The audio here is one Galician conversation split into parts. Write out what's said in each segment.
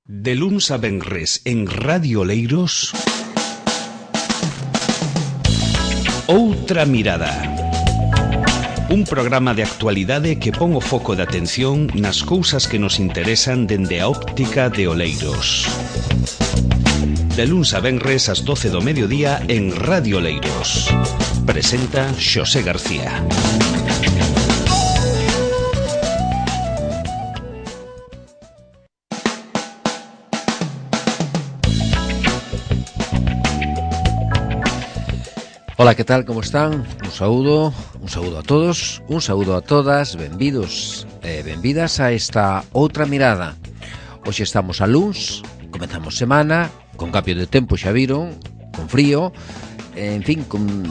De luns a venres en Radio Oleiros, Outra Mirada. Un programa de actualidade que pon o foco de atención nas cousas que nos interesan dende a óptica de Oleiros. De luns a venres ás 12 do mediodía en Radio Oleiros. Presenta Xosé García. Ola, que tal, como están? Un saúdo a todos, un saúdo a todas, benvidos e benvidas a esta Outra Mirada. Hoxe estamos a luns, comezamos semana, con cambio de tempo, xa viron, con frío, en fin, con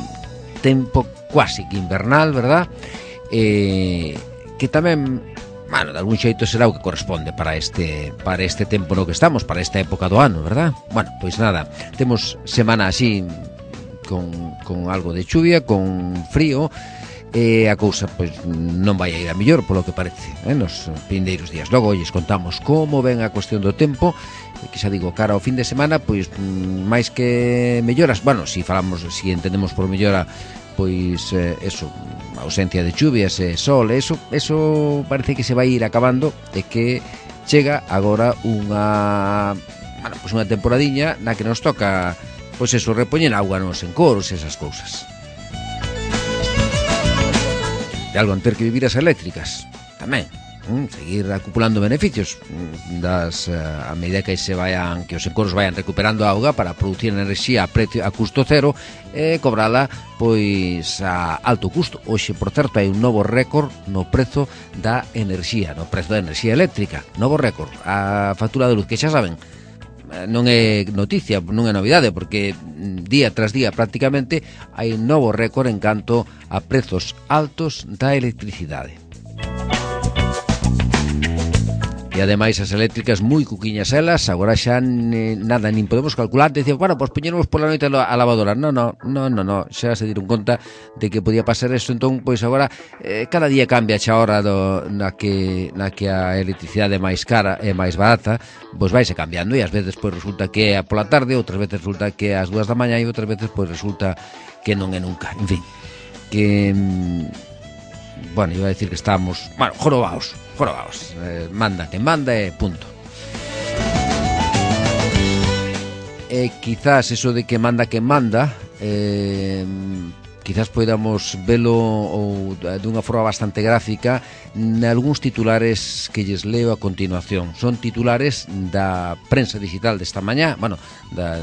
tempo quasi que invernal, verdad? Que tamén, bueno, de algún xeito será o que corresponde para este tempo no que estamos, para esta época do ano, verdad? Bueno, pois nada, temos semana así con algo de chuvia, con frío, a cousa pois non vai a ir a mellor polo que parece, nos vindeiros días. Logo lles contamos como ven a cuestión do tempo, que xa digo, cara ao fin de semana, pois máis que melloras, bueno, si entendemos por mellora, pois eso, ausencia de chuvias e sol, eso parece que se vai ir acabando, e que chega agora unha temporadiña na que nos toca, pois eso, repoñer auga nos encoros e esas cousas. De algo en ter que vivir as eléctricas tamén, seguir acumulando beneficios a medida que os encoros vayan recuperando auga para producir enerxía a custo cero e cobrala pois a alto custo. Hoxe, por certo, hai un novo récord no prezo da enerxía, eléctrica, novo récord. A factura de luz, que xa saben, non é noticia, non é novidade, porque día tras día prácticamente hai un novo récord en canto a prezos altos da electricidade. E ademais as eléctricas moi cuquiñas elas, agora xa nada, nin podemos calcular, decir, bueno, pois poñeremos pola noite a lavadora. No, xa se diron conta de que podía pasar eso, entón, pois agora cada día cambia xa a hora na que a electricidade é máis cara e máis barata, pois vaise cambiando, e ás veces pois resulta que é pola tarde, outras veces resulta que é ás 2 da mañá, e outras veces pois resulta que non é nunca. En fin, que bueno, iba a decir que estamos, bueno, jorobaos, manda quen manda e punto. E quizás eso de que manda quen manda, quizás podamos velo ou dunha forma bastante gráfica nalgúns titulares que lles leo a continuación. Son titulares da prensa digital desta mañá, bueno, de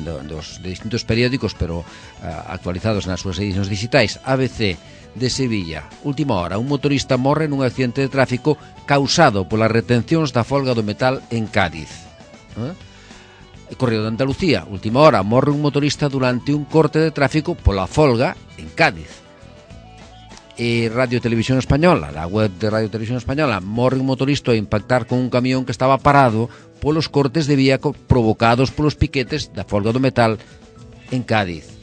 distintos periódicos, pero actualizados nas súas edicións digitais. ABC de Sevilla, última hora, un motorista morre nun accidente de tráfico causado polas retencións da folga do metal en Cádiz. Correo de Andalucía, última hora, morre un motorista durante un corte de tráfico pola folga en Cádiz. E Radio Televisión Española, la web de Radio Televisión Española, morre un motorista a impactar con un camión que estaba parado polos cortes de vía provocados polos piquetes da folga do metal en Cádiz.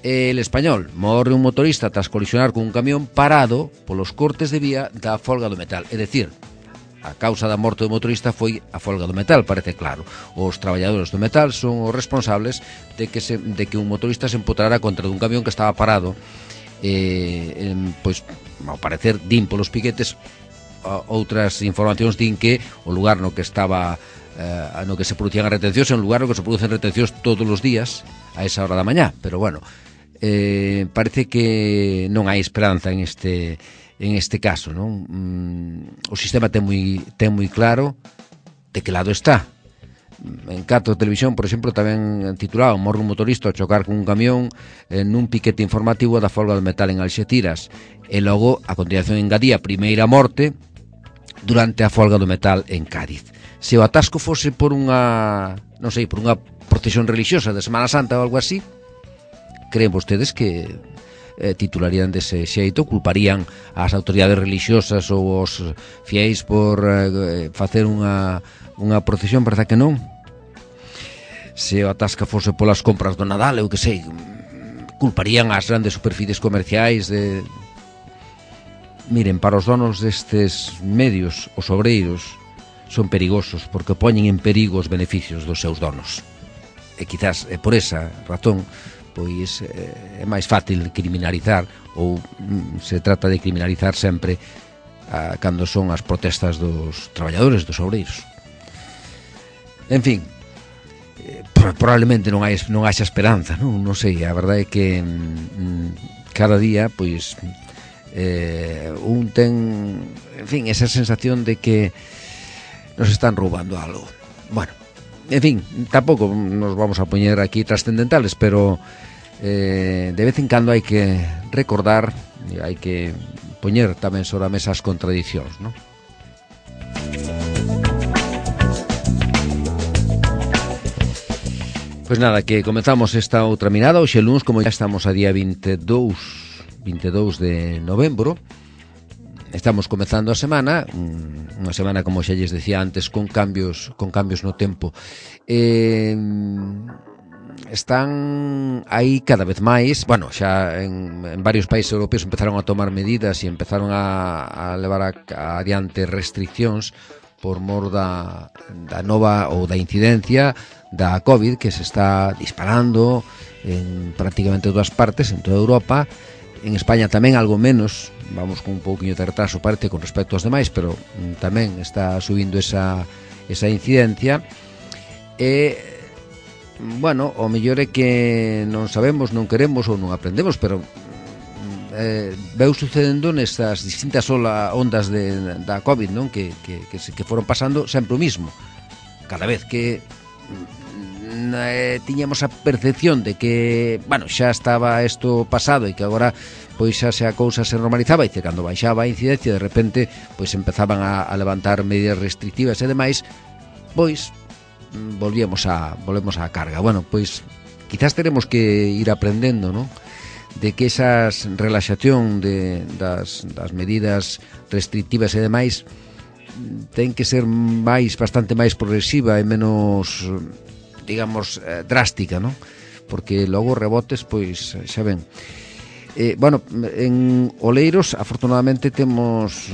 El Español, morre un motorista tras colisionar con un camión parado polos cortes de vía da folga do metal. É dicir, a causa da morte do motorista foi a folga do metal, parece claro. Os traballadores do metal son os responsables de que un motorista se empotrara contra dun camión que estaba parado. Pois, ao parecer, din polos piquetes, outras informacións din que o lugar no que estaba no que se producían as retencións é un lugar no que se producen retencións todos os días a esa hora da mañá, pero bueno, parece que non hai esperanza en este caso, non? O sistema ten moi claro de que lado está. En Cato Televisión, por exemplo, tamén titulado morre un motorista ao chocar con un camión nun piquete informativo da folga do metal en Alxeciras, e logo a continuación engadía primeira morte durante a folga do metal en Cádiz. Se o atasco fose por unha procesión religiosa de Semana Santa ou algo así, creen vostedes que titularían dese xeito, culparían as autoridades religiosas ou os fiéis por facer unha procesión? Verdad que non? Se o atasca fose polas compras do Nadal, eu que sei, culparían as grandes superficies comerciais de... Miren, para os donos destes medios, os obreiros, son perigosos porque poñen en perigo os beneficios dos seus donos. E quizás por esa razón pois é máis fácil criminalizar, ou se trata de criminalizar sempre cando son as protestas dos traballadores, dos obreiros. En fin, probablemente non haxa esperanza, non sei, a verdade é que cada día pois un ten, en fin, esa sensación de que nos están roubando algo. Bueno, en fin, tampouco nos vamos a poñer aquí trascendentales, pero de vez en cando hai que recordar e hai que poñer tamén sobre a mesa as contradicións, non? Pois nada, que comezamos esta outra mirada. Hoxe luns, como ya estamos a día 22 de novembro, estamos comezando a semana, unha semana, como xa lles decía antes, con cambios no tempo. Están aí cada vez máis, bueno, xa en varios países europeos empezaron a tomar medidas e empezaron a levar adiante restriccións por mor da nova ou da incidencia da COVID, que se está disparando en prácticamente todas partes, en toda Europa. En España tamén algo menos, vamos con un pouquinho de retraso parte con respecto aos demais, pero tamén está subindo esa incidencia. E bueno, o mellor é que non sabemos, non queremos ou non aprendemos, pero veu sucedendo nestas distintas ondas da COVID, non? Que foron pasando sempre o mismo. Cada vez que tiñamos a percepción de que, bueno, xa estaba isto pasado e que agora pois xa a cousa se normalizaba, e cando baixaba a incidencia de repente pois empezaban a levantar medidas restrictivas e demais, pois volvemos á carga. Bueno, pois quizás teremos que ir aprendendo, non? De que esas relaxación das medidas restrictivas e demais ten que ser bastante máis progresiva e menos, digamos, drástica, non? Porque logo rebotes, pois, xa ven. Bueno, en Oleiros afortunadamente temos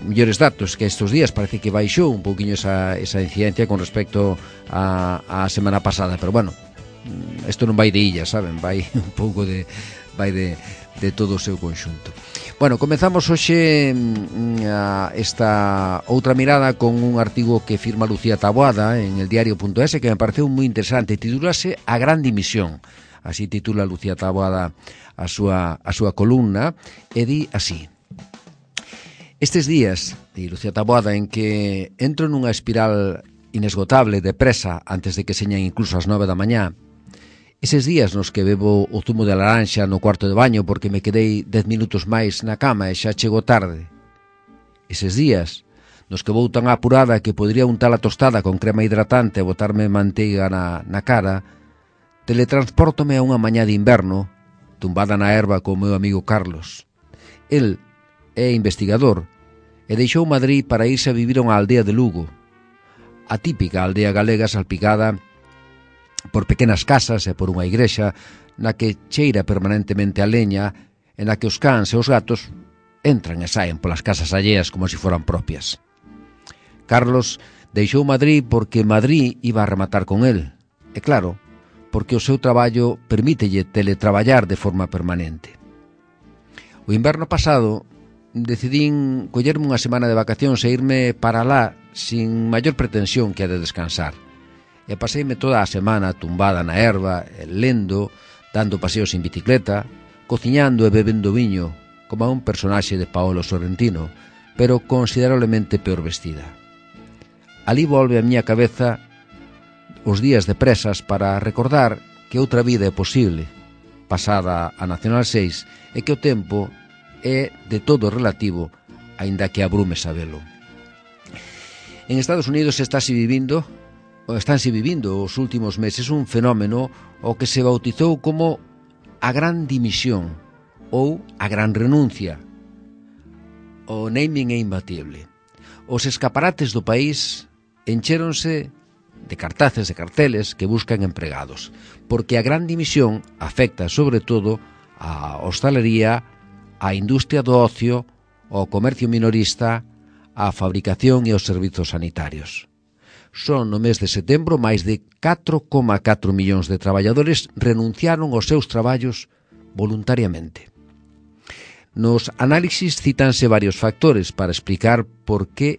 mellores datos que estes días. Parece que baixou un pouquiño esa incidencia con respecto a semana pasada, pero bueno, isto non vai de illas, saben? Vai un pouco de todo o seu conxunto. Bueno, comezamos hoxe esta outra mirada con un artigo que firma Lucía Taboada en el diario.es, que me pareceu moi interesante. Titúlase A Gran Dimisión. Así titula Lucía Taboada a súa columna, e di así: estes días, di Lucía Taboada, en que entro nunha espiral inesgotable de presa antes de que señan incluso as 9 da mañá, eses días nos que bebo o zumo de laranxa no cuarto de baño porque me quedei 10 minutos máis na cama e xa chego tarde, eses días nos que vou tan apurada que podría untar a tostada con crema hidratante e botarme manteiga na cara, teletranspórtome a unha mañá de inverno tumbada na herba co meu amigo Carlos. El é investigador e deixou Madrid para irse a vivir a unha aldea de Lugo, a típica aldea galega salpicada por pequenas casas e por unha igrexa na que cheira permanentemente a leña e na que os cans e os gatos entran e saen polas casas alleas como se foran propias. Carlos deixou Madrid porque Madrid iba a rematar con el, e claro, porque o seu traballo permítelle teletraballar de forma permanente. O inverno pasado decidín collerme unha semana de vacacións e irme para lá sin maior pretensión que a de descansar. E paseime toda a semana tumbada na herba, lendo, dando paseos en bicicleta, cociñando e bebendo viño, como a un personaxe de Paolo Sorrentino, pero considerablemente peor vestida. Alí volve a miña cabeza os días de presas para recordar que outra vida é posible, pasada a Nacional 6, e que o tempo é de todo relativo, aínda que abrume sabelo. En Estados Unidos estánse vivindo os últimos meses un fenómeno o que se bautizou como a Gran Dimisión ou a Gran Renuncia. O naming é imbatible. Os escaparates do país enchéronse de cartaces e carteles que buscan empregados, porque a Gran Dimisión afecta sobre todo a hostalería, a industria do ocio, ao comercio minorista, á fabricación e aos servizos sanitarios. Son no mes de setembro máis de 4,4 millóns de traballadores renunciaron aos seus traballos voluntariamente. Nos análisis cítanse varios factores para explicar por que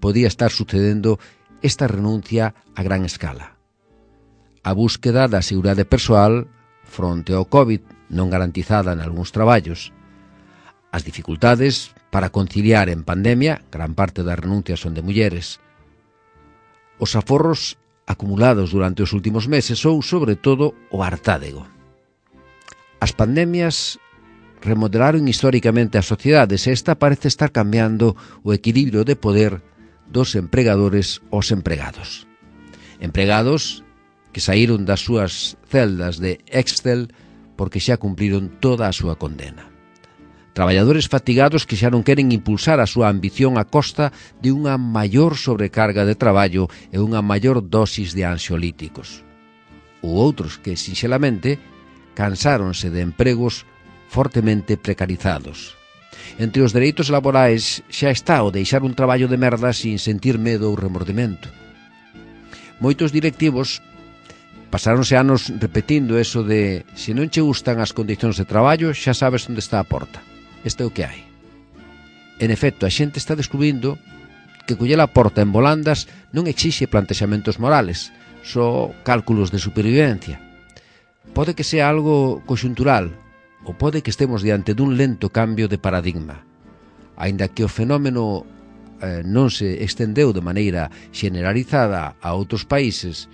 podía estar sucedendo esta renuncia a gran escala. A búsqueda da seguridade persoal fronte ao COVID non garantizada en algúns traballos, as dificultades para conciliar en pandemia, gran parte das renuncias son de mulleres, os aforros acumulados durante os últimos meses ou, sobre todo, o hartádego. As pandemias remodelaron históricamente as sociedades e esta parece estar cambiando o equilibrio de poder dos empregadores aos empregados. Empregados que saíron das súas celdas de Excel porque xa cumpriron toda a súa condena. Traballadores fatigados que xa non queren impulsar a súa ambición a costa de unha maior sobrecarga de traballo e unha maior dosis de ansiolíticos. Ou outros que, sinxelamente, cansáronse de empregos fortemente precarizados. Entre os dereitos laborais xa está o deixar un traballo de merda sin sentir medo ou remordimento. Moitos directivos pasáronse anos repetindo eso de se non che gustan as condicións de traballo xa sabes onde está a porta. Este é o que hai. En efecto, a xente está descubrindo que coller a porta en volandas non exixe plantexamentos morales, só cálculos de supervivencia. Pode que sea algo conxuntural, ou pode que estemos diante dun lento cambio de paradigma. Aínda que o fenómeno non se estendeu de maneira generalizada a outros países,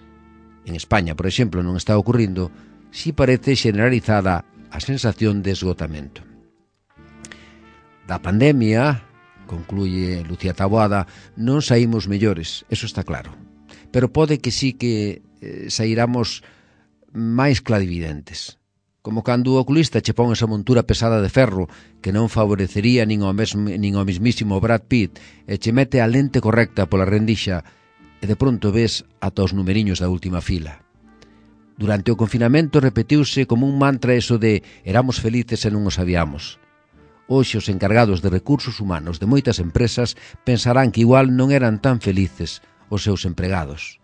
en España, por exemplo, non está ocurrindo, si parece generalizada a sensación de esgotamento. Da pandemia, concluye Lucía Taboada, non saímos mellores, eso está claro. Pero pode que sí que sairamos máis clarividentes. Como cando o oculista che pon esa montura pesada de ferro que non favorecería nin ao mismísimo Brad Pitt e che mete a lente correcta pola rendixa e de pronto ves ata os numeriños da última fila. Durante o confinamento repetiuse como un mantra eso de éramos felices e non o sabíamos. Hoxe os encargados de recursos humanos de moitas empresas pensarán que igual non eran tan felices os seus empregados.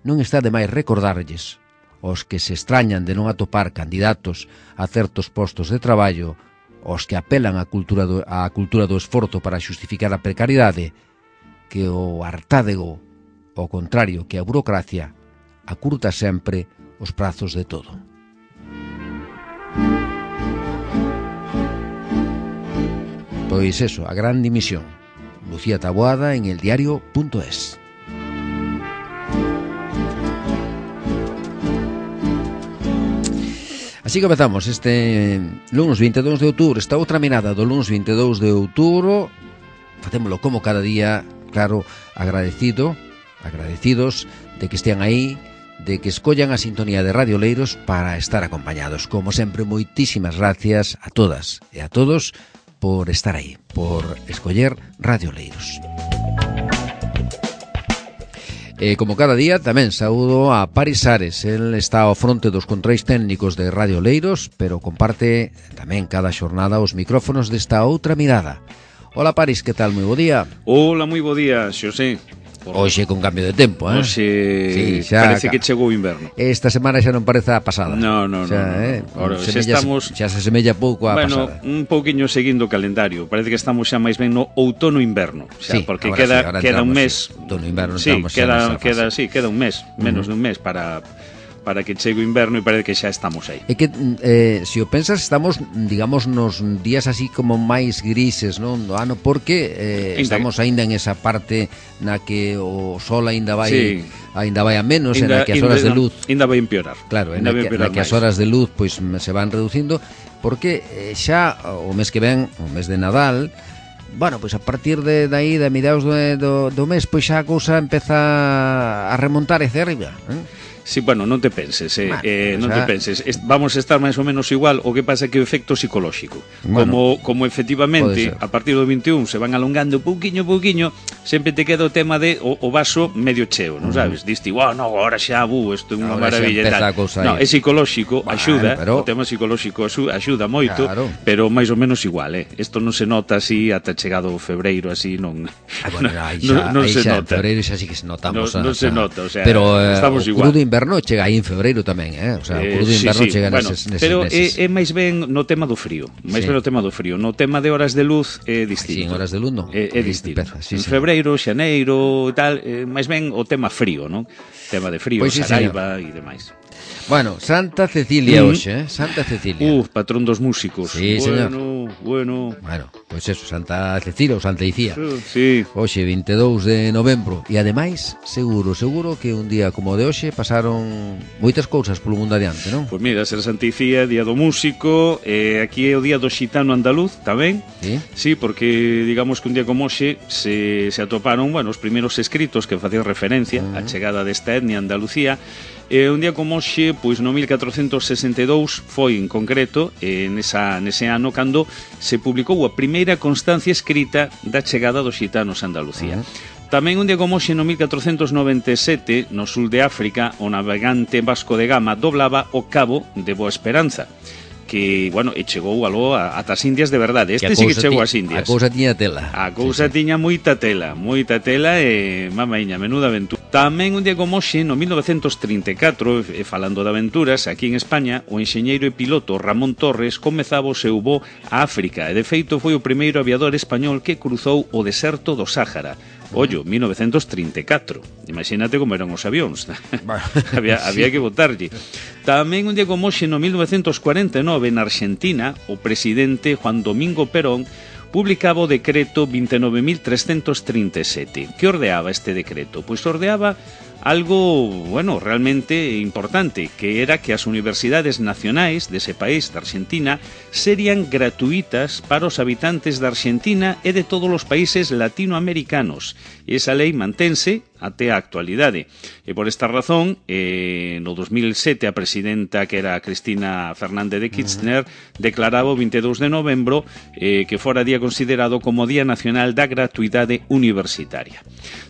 Non está de máis recordarlles os que se extrañan de non atopar candidatos a certos postos de traballo, os que apelan á cultura do esforzo para xustificar a precariedade, que o hartádego, ao contrario que a burocracia, acurta sempre os prazos de todo. Pois eso, a gran dimisión. Lucía Taboada en eldiario.es. Así comezamos este lunes 22 de outubro, esta outra mirada do lunes 22 de outubro. Facémolo como cada día, claro, agradecidos de que estean aí, de que escollan a sintonía de Radio Leiros para estar acompañados. Como sempre, moitísimas gracias a todas e a todos por estar aí, por escoller Radio Leiros. E como cada día tamén saúdo a Paris Ares. El está ao fronte dos controis técnicos de Radio Leiros, pero comparte tamén cada xornada os micrófonos desta outra mirada. Hola Paris, que tal? Moi bo día. Hola, moi bo día, Xosé. Hoxe con cambio de tempo, eh? Hoxe sí, parece que chegou o inverno. Esta semana xa non parece a pasada. No. Ahora, xa se semella pouco a pasada. Un pouquiño seguindo o calendario. Parece que estamos xa máis ben no outono-inverno. Sí, porque queda un mes. Outono-inverno sí, estamos queda un mes, menos dun mes para que chegue o inverno e parece que xa estamos aí. É que, se o pensas, estamos, digamos, nos días así como máis grises, non, do ano, porque estamos aínda en esa parte na que o sol aínda vai a menos, na que as horas de luz aínda vai empeorar. Claro, na que as horas de luz pois se van reducindo, porque xa o mes que ven, o mes de Nadal, bueno, pois a partir de aí, de mediados do mes, pois xa a cousa empeza a remontar hacia arriba, Sí, bueno, non te penses, non xa... te penses. Vamos a estar máis ou menos igual, o que pasa é que o efecto psicolóxico. Bueno, Como efectivamente, a partir do 21 se van alongando pouquiño, sempre te queda o tema de o vaso medio cheo, non sabes? Diste, no, agora xa, isto é unha maravilla e tal. No, é psicolóxico, axuda, o tema psicolóxico axuda moito, claro. pero máis ou menos igual, Isto non se nota así ata chegado o febreiro, así non non se xa, nota. En febreiro xa sí que se notamos. Non se nota, o sea, pero estamos o igual. crudo inverno chega aí en febreiro tamén, O sea, o crudo inverno chega neses pero meses. é máis ben no tema do frío. Ben no tema do frío. No tema de horas de luz é distinto. Sí, en horas de luz non. É distinto. En febreiro, xaneiro e tal, máis ben o tema frío, non? Tema de frío, Saraiva e demais. Bueno, Santa Cecilia hoxe, Santa Cecilia. Patrón dos músicos. Sí, señor. Bueno, pois eso, Santa Cecilia ou Santa Icía. Sí. Hoxe, 22 de novembro. E ademais, seguro que un día como o de hoxe pasaron moitas cousas polo mundo adiante, non? Pois mira, ser Santa Icía, Día do Músico, aquí é o Día do Xitano Andaluz, tamén. Sí, porque digamos que un día como hoxe se atoparon, os primeiros escritos que facían referencia á chegada desta etnia a Andalucía. Un día como hoxe, pois no 1462 foi en concreto nese ano cando se publicou a primeira constancia escrita da chegada dos xitanos a Andalucía. Tamén un día como hoxe no 1497 no sul de África o navegante Vasco de Gama doblaba o Cabo de Boa Esperanza, que, e chegou aló ata as Indias de verdade. Este sí que chegou ás Indias. A cousa tiña tela. A cousa tiña moita tela e, mamaiña, menuda aventura. Tamén un día como hoxe, no 1934, falando de aventuras, aquí en España, o enxeñeiro e piloto Ramón Torres comezaba o seu voo a África, e de feito foi o primeiro aviador español que cruzou o deserto do Sáhara. Ollo, 1934. Imagínate como eran os avións. había que botarlle. Tamén un día como hoxe, no 1949, na Argentina, o presidente Juan Domingo Perón publicaba o decreto 29.337. Que ordeaba este decreto? Pois ordeaba algo, realmente importante, que era que as universidades nacionais dese país, da Argentina, serían gratuitas para os habitantes da Argentina e de todos os países latinoamericanos. E esa lei mantense até a actualidade. E por esta razón, no 2007, a presidenta, que era Cristina Fernández de Kirchner, declaraba o 22 de novembro que fora día considerado como Día Nacional da Gratuidade Universitaria.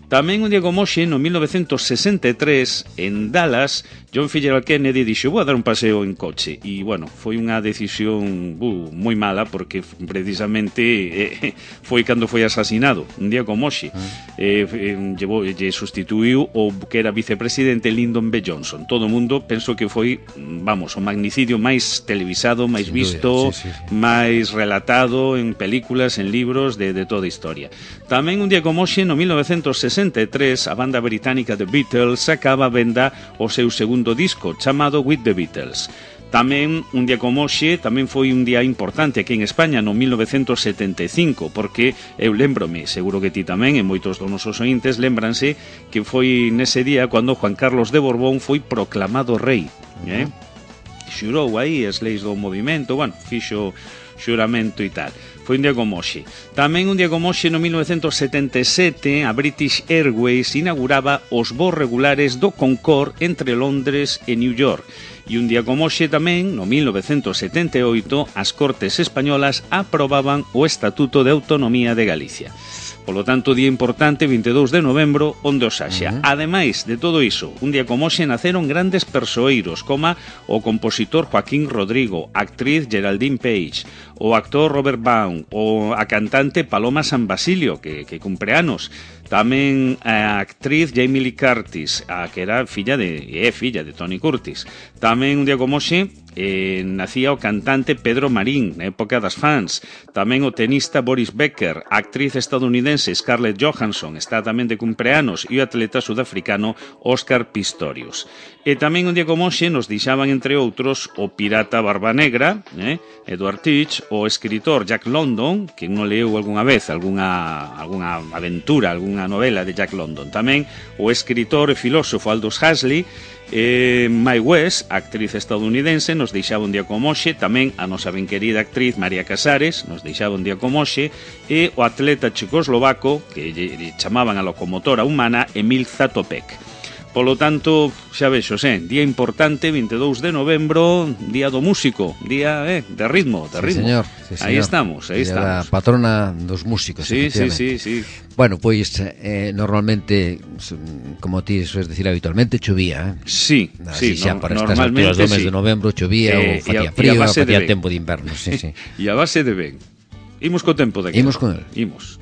Tamén un día como hoxe, no 1963, en Dallas, John F. Kennedy dixo, vou a dar un paseo en coche. E, foi unha decisión moi mala, porque precisamente foi cando foi asasinado, un día como hoxe. Lle sustituiu o que era vicepresidente Lyndon B. Johnson. Todo o mundo penso que foi, o magnicidio máis televisado, máis visto, máis relatado en películas, en libros, de toda a historia. Tamén un día como hoxe, no 1963, a banda británica The Beatles sacaba a venda o seu segundo disco, chamado With the Beatles. Tamén, un día como hoxe, tamén foi un día importante aquí en España, no 1975, porque eu lembrome, seguro que ti tamén, e moitos dos nosos ointes lembranse, que foi nese día cando Juan Carlos de Borbón foi proclamado rei. Xurou aí as leis do movimento, fixo xuramento e tal. Foi un día como hoxe. Tamén un día como hoxe, no 1977, a British Airways inauguraba os voos regulares do Concorde entre Londres e New York. E un día como hoxe tamén, no 1978, as Cortes Españolas aprobaban o Estatuto de Autonomía de Galicia. Polo tanto, día importante, 22 de novembro, onde os haxa. Ademais de todo iso, un día como hoxe naceron grandes persoeiros, como o compositor Joaquín Rodrigo, a actriz Geraldine Page, o actor Robert Baum, ou a cantante Paloma San Basilio, que cumpre anos. Tamén a actriz Jamie Lee Curtis, que era filla de Tony Curtis. Tamén un día como hoxe nacía o cantante Pedro Marín, na época das fans. Tamén o tenista Boris Becker, a actriz estadounidense Scarlett Johansson, está tamén de cumpleanos, e o atleta sudafricano Óscar Pistorius. E tamén un día como hoxe nos deixaban, entre outros, o pirata Barba Negra, Edward Teach, o escritor Jack London, que non leu algunha vez algunha aventura, algunha novela de Jack London. Tamén o escritor e filósofo Aldous Huxley, Mae West, actriz estadounidense, nos deixaba un día como hoxe. Tamén a nosa ben querida actriz María Casares nos deixaba un día como hoxe, e o atleta checoslovaco, que lle chamaban a locomotora humana, Emil Zatopek. Polo tanto, xa vexo, día importante, 22 de novembro, día do músico, día de ritmo, de ritmo. Señor, sí, señor. Aí estamos. A patrona dos músicos. Sí. Bueno, pois normalmente, como ti soes decir habitualmente, chovía, Sí, xa para estas alturas do mes de novembro chovía ou facía frío, facía tempo de inverno, sí. E a base de ben. Imos co tempo de aquí. Imos con el. Imos.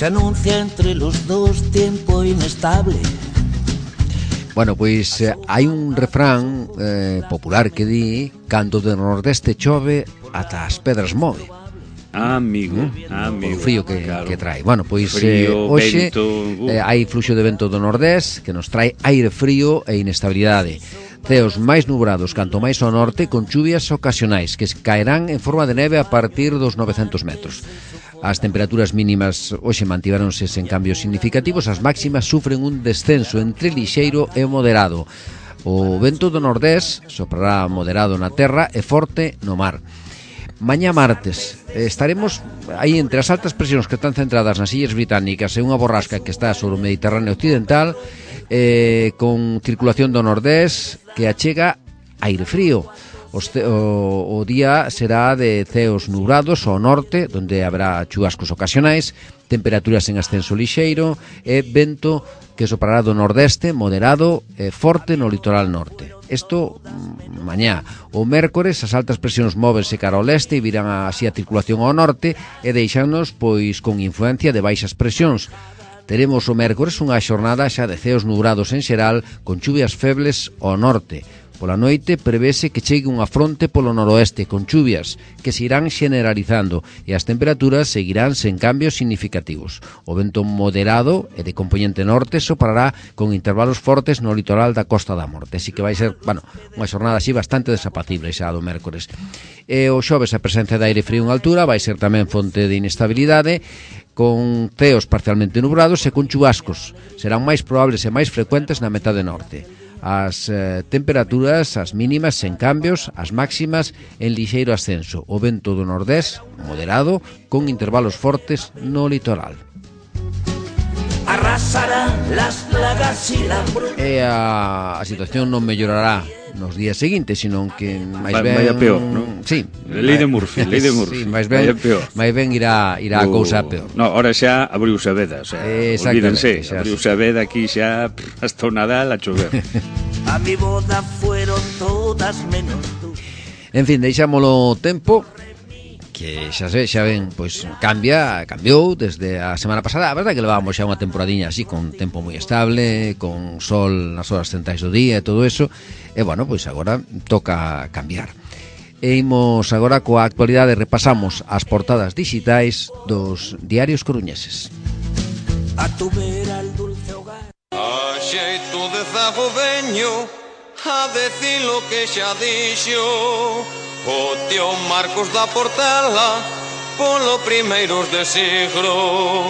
Se anuncia entre los dos tiempo inestable. Bueno, pois hai un refrán popular que di: cando do nordeste chove, ata as pedras move. Amigo. O frío que trae. Bueno, pois hoxe hai fluxo de vento do nordés que nos trae aire frío e inestabilidade. Ceos máis nubrados canto máis ao norte, con chuvias ocasionais que caerán en forma de neve a partir dos 900 metros. As temperaturas mínimas hoxe mantiveronse sen cambios significativos, as máximas sufren un descenso entre lixeiro e moderado. O vento do nordés soprará moderado na terra e forte no mar. Mañá martes estaremos aí entre as altas presións que están centradas nas illas británicas e unha borrasca que está sobre o Mediterráneo occidental, con circulación do nordés que achega aire frío. O día será de ceos nubrados ao norte, donde habrá chuvascos ocasionais, temperaturas en ascenso lixeiro e vento que soprará do nordeste moderado e forte no litoral norte. Isto mañá. O mércores as altas presións móvense cara ao leste e virán así a circulación ao norte e deixanos pois con influencia de baixas presións. Teremos o mércores unha xornada xa de ceos nubrados en xeral, con chuvias febles ao norte. Pola noite prevese que chegue unha fronte polo noroeste con chuvias que se irán generalizando e as temperaturas seguirán sen cambios significativos. O vento moderado e de compoñente norte soprará con intervalos fortes no litoral da Costa da Morte, así que vai ser, unha xornada así bastante desapacible xa do mércores. E o xoves a presencia de aire frío en altura vai ser tamén fonte de inestabilidade, con ceos parcialmente nubrados e con chubascos. Serán máis probables e máis frecuentes na metade norte. As temperaturas, as mínimas sen cambios, as máximas en lixeiro ascenso. O vento do nordés moderado con intervalos fortes no litoral. Arrasarán las plagas y la hambruna. E a situación non mellorará nos días seguintes, sino que máis ben vaya peor, non? Sí, Lei de Murphy. Sí, máis ben irá a cousa peor. No, ahora xa abriuse a veda, o sea, olvídense, abriuse a veda aquí xa hasta o Nadal a chover. A mi boda fueron todas menos tú. En fin, deixámolo tempo, que xa ven, pois cambiou desde a semana pasada. A verdade que levábamos xa unha temporadiña así, con tempo moi estable, con sol nas horas centrais do día e todo eso. E bueno, pois agora toca cambiar. E imos agora coa actualidade, repasamos as portadas digitais dos diarios coruñeses. A tu vera el dulce hogar. A xeito de zago veño a decir lo que xa dixo o tío Marcos da Portela polo primeiros de siglo.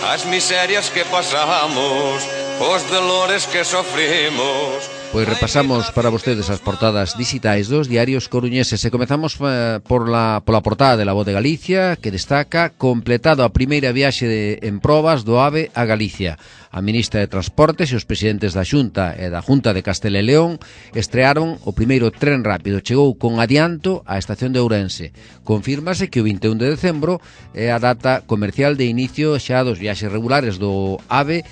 As miserias que pasamos, os dolores que sofrimos. Pois repasamos para vostedes as portadas digitais dos diarios coruñeses e comezamos pola portada de La Voz de Galicia, que destaca: completado a primeira viaxe en probas do AVE a Galicia. A ministra de Transportes e os presidentes da Xunta e da Junta de Castela e León estrearon o primeiro tren rápido. Chegou con adianto á estación de Ourense. Confírmase que o 21 de decembro é a data comercial de inicio xa dos viaxes regulares do AVE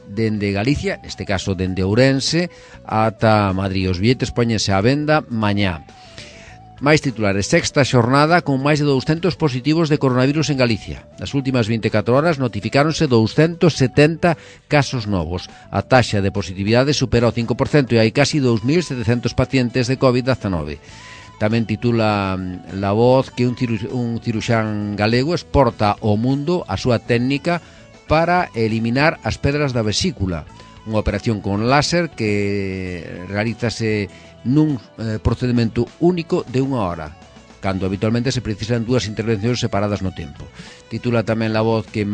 dende Galicia, neste caso dende Ourense ata Madrid. Os billetes póñense á venda mañá. Máis titulares: sexta xornada con máis de 200 positivos de coronavirus en Galicia. Nas últimas 24 horas notificáronse 270 casos novos. A taxa de positividade supera o 5% e hai casi 2.700 pacientes de COVID-19. Tamén titula La Voz que un ciruxán galego exporta ao mundo a súa técnica para eliminar as pedras da vesícula. Unha operación con láser que realízase nun procedimento único de 1 hora, cando habitualmente se precisan 2 intervencións separadas no tempo. Titula tamén La Voz que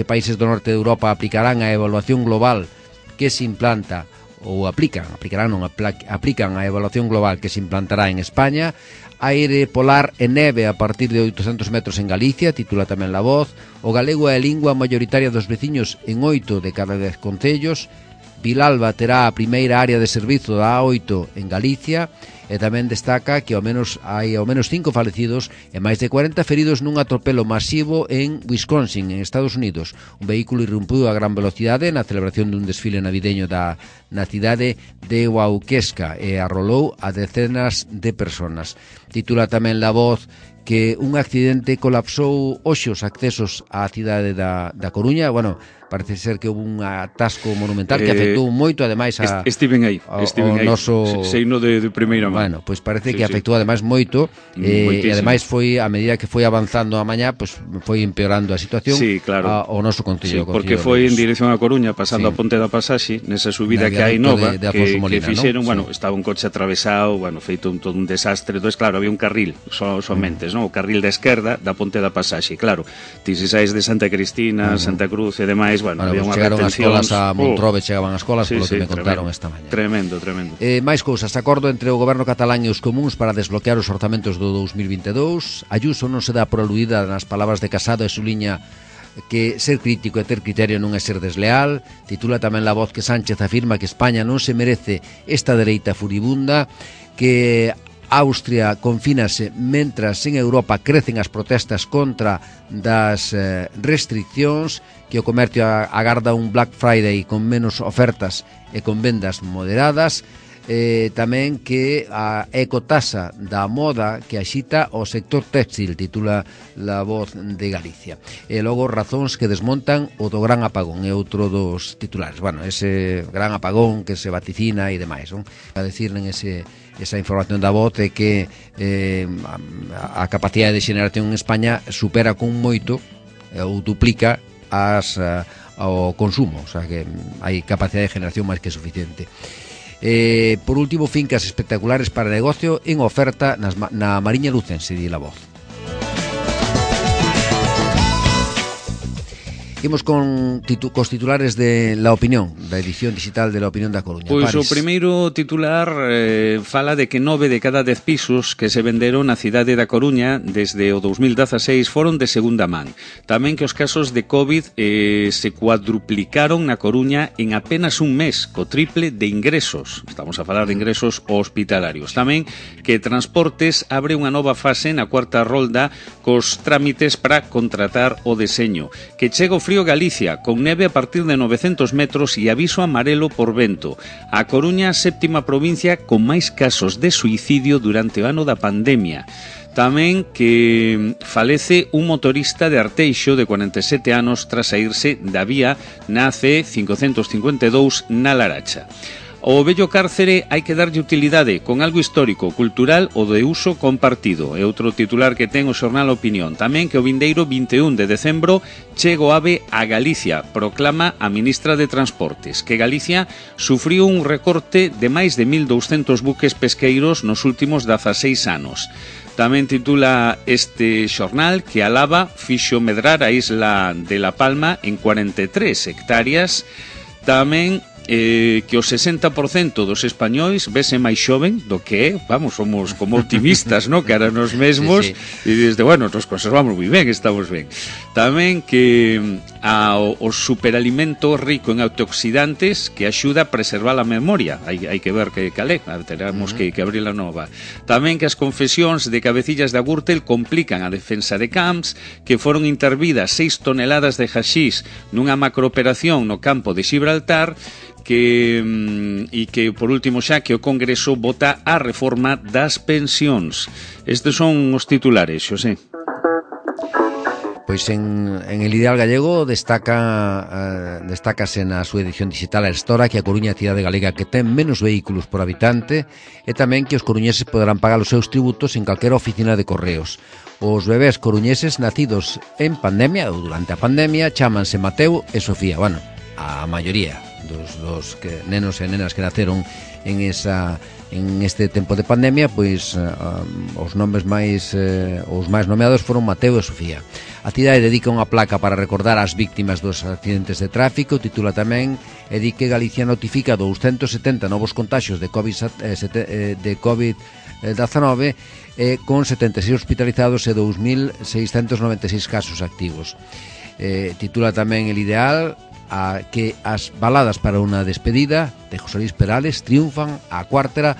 países do norte de Europa aplicarán a evaluación global que se implanta ou aplican a evaluación global que se implantará en España aire polar e neve a partir de 800 metros en Galicia, titula tamén La Voz. O galego é a lingua mayoritaria dos veciños en 8 de cada 10 concellos. Vilalba terá a primeira área de servizo da A8 en Galicia, e tamén destaca que hai ao menos 5 falecidos e máis de 40 feridos nun atropelo masivo en Wisconsin, en Estados Unidos. Un vehículo irrumpiu a gran velocidade na celebración dun desfile navideño na cidade de Waukeska e arrolou a decenas de personas. Titula tamén La Voz que un accidente colapsou hoxe os accesos á cidade da Coruña. Bueno, parece ser que houve un atasco monumental que afectou moito, ademais, estiven aí noso... Seino de primeira mão. Bueno, pois parece que afectou ademais moito, e ademais foi, a medida que foi avanzando a mañá, pois foi empeorando a situación. Sí, claro. O noso concello. Sí, porque foi en dirección a Coruña, pasando a Ponte da Pasaxe, nesa subida que hai nova, que fixeron, bueno, estaba un coche atravesado, bueno, feito todo un desastre. Entón, claro, había un carril somente, o carril da esquerda da Ponte da Pasaxe, claro. Ti se saes de Santa Cristina, Santa Cruz e demais, bueno, había unha retención. Chegaron as escolas a Montrobe, chegaban as escolas, polo que me contaron esta mañá. Tremendo. Máis cousas, acordo entre o goberno catalán e os comuns para desbloquear os orzamentos do 2022. Ayuso non se dá por aludida nas palabras de Casado e suliña que ser crítico e ter criterio non é ser desleal. Titula tamén La Voz que Sánchez afirma que España non se merece esta dereita furibunda, que Austria confínase mentras en Europa crecen as protestas contra das restriccións, que o comercio agarda un Black Friday con menos ofertas e con vendas moderadas. Tamén que a ecotasa da moda que axita o sector textil, titula La Voz de Galicia. E logo razóns que desmontan o do gran apagón, é outro dos titulares. Bueno, ese gran apagón que se vaticina e demais, non? A decir esa información da Voz é que a capacidade de xeneración en España supera con moito ou duplica ao consumo, o sea que hai capacidade de generación máis que suficiente. Por último, fincas espectaculares para negocio en oferta na Mariña Lucense, di La Voz. Imos cos titulares de La Opinión, da edición digital de La Opinión da Coruña. Pois o primeiro titular fala de que 9 de cada 10 pisos que se venderon na cidade da Coruña desde o 2016 foron de segunda man. Tamén que os casos de COVID se cuadruplicaron na Coruña en apenas un mes, co triple de ingresos. Estamos a falar de ingresos hospitalarios. Tamén que Transportes abre unha nova fase na cuarta rolda cos trámites para contratar o deseño. Que chega o frío Galicia, con neve a partir de 900 metros e aviso amarelo por vento. A Coruña, séptima provincia con máis casos de suicidio durante o ano da pandemia. Tamén que falece un motorista de Arteixo de 47 anos tras saírse da vía na C552 na Laracha. O vello cárcere hai que darlle utilidade con algo histórico, cultural ou de uso compartido. É outro titular que ten o xornal Opinión. Tamén que o vindeiro 21 de decembro chega o AVE a Galicia, proclama a ministra de Transportes, que Galicia sufriu un recorte de máis de 1.200 buques pesqueiros nos últimos 16 anos. Tamén titula este xornal que a lava fixo medrar a isla de La Palma en 43 hectáreas. Tamén que o 60% dos españois vese máis xoven do que é, vamos, somos como optimistas, ¿no? Cara nos mesmos, sí. E desde, bueno, nos conservamos moi ben, estamos ben. Tamén que o superalimento rico en antioxidantes que axuda a preservar a memoria. Hai que ver que calé, teremos que abrir a nova. Tamén que as confesións de Cabecillas de Agurtel complican a defensa de Camps, que foron intervidas 6 toneladas de haxís nunha macrooperación no campo de Gibraltar, e que, por último, xa que o Congreso vota a reforma das pensións. Estes son os titulares, Xosé. Pois en El Ideal Gallego destácase na súa edición digital a Estora que a Coruña é a cidade galega que ten menos vehículos por habitante e tamén que os coruñeses poderán pagar os seus tributos en calquera oficina de correos. Os bebés coruñeses nacidos en pandemia ou durante a pandemia chámanse Mateo e Sofía. Bueno, a maioría dos nenos e nenas que naceron en este tempo de pandemia, pois os nomes máis nomeados foron Mateo e Sofía. A cidade dedica unha placa para recordar as víctimas dos accidentes de tráfico, titula tamén e di que Galicia notifica 270 novos contaxios de COVID-19 con 76 hospitalizados e 2.696 casos activos. Titula tamén El Ideal a que as baladas para unha despedida de José Luis Perales triunfan a cuarta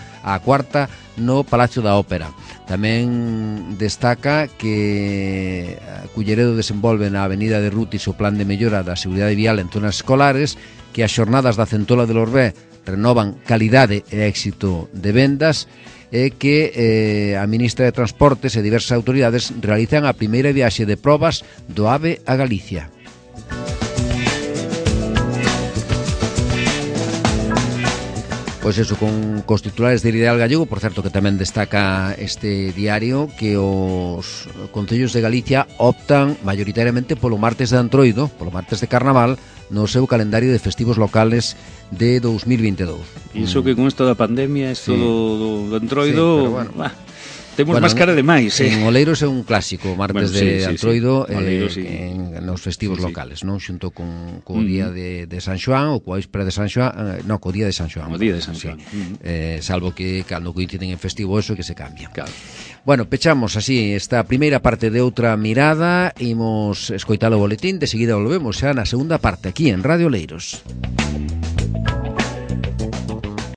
no Palacio da Ópera. Tamén destaca que Culleredo desenvolve na Avenida de Rutis o plan de mellora da seguridade vial en zonas escolares, que as xornadas da Centola de Lorbé renovan calidade e éxito de vendas, e que a ministra de Transportes e diversas autoridades realizan a primeira viaxe de probas do AVE a Galicia. Pois eso, con os titulares del Ideal Gallego. Por certo, que tamén destaca este diario que os concellos de Galicia optan maioritariamente polo martes de Antroido, polo martes de Carnaval, no seu calendario de festivos locales de 2022. E iso que con isto da pandemia, isto do Antroido, sí, pero bueno. Temos máis cara de máis. En Oleiros é un clásico, martes de Antroido, nos festivos locales, non? Xunto con o día de San Xoán, ou coa víspera de San Xoán, co día de San Xoán. O día de San Xoán. Salvo que cando coinciden en festivo eso que se cambia. Claro. Bueno, pechamos así esta primeira parte de Outra Mirada. Imos escoitar o boletín, de seguida volvemos xa na segunda parte aquí en Radio Oleiros.